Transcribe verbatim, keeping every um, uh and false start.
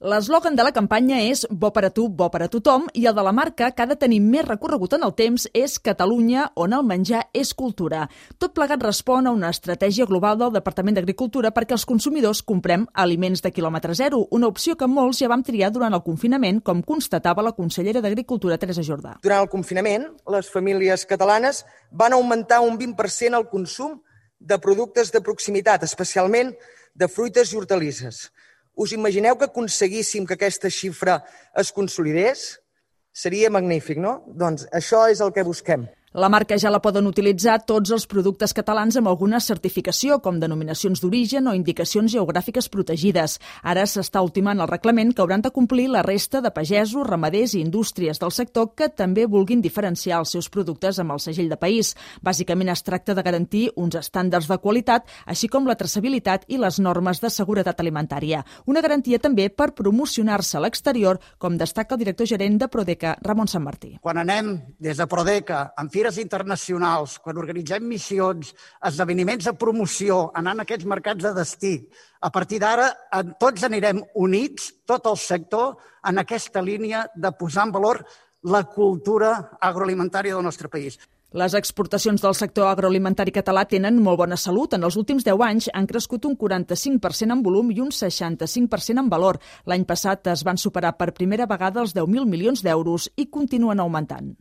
L'eslògan de la campanya és "Bo per a tu, bo per a tothom" i el de la marca, que ha de tenir més recorregut en el temps, és "Catalunya, on el menjar és cultura". Tot plegat respon a una estratègia global del Departament d'Agricultura perquè els consumidors comprem aliments de quilòmetre zero, una opció que molts ja vam triar durant el confinament, com constatava la consellera d'Agricultura, Teresa Jordà. Durant el confinament, les famílies catalanes van augmentar un vint per cent el consum de productes de proximitat, especialment de fruites i hortalisses. Us imagineu que aconseguíssim que aquesta xifra es consolidés? Seria magnífic, no? Doncs això és el que busquem. La marca ja la poden utilitzar tots els productes catalans amb alguna certificació, com denominacions d'origen o indicacions geogràfiques protegides. Ara s'està ultimant el reglament que hauran de complir la resta de pagesos, ramaders i indústries del sector que també vulguin diferenciar els seus productes amb el segell de país. Bàsicament es tracta de garantir uns estàndards de qualitat, així com la traçabilitat i les normes de seguretat alimentària. Una garantia també per promocionar-se a l'exterior, com destaca el director gerent de Prodeca, Ramon Sanmartí. Quan anem des de Prodeca amb fires internacionals, quan organitzem missions, esdeveniments de promoció, anant a aquests mercats de destí, a partir d'ara tots anirem units, tot el sector, en aquesta línia de posar en valor la cultura agroalimentària del nostre país. Les exportacions del sector agroalimentari català tenen molt bona salut. En els últims deu anys han crescut un quaranta-cinc per cent en volum i un seixanta-cinc per cent en valor. L'any passat es van superar per primera vegada els deu mil milions d'euros i continuen augmentant.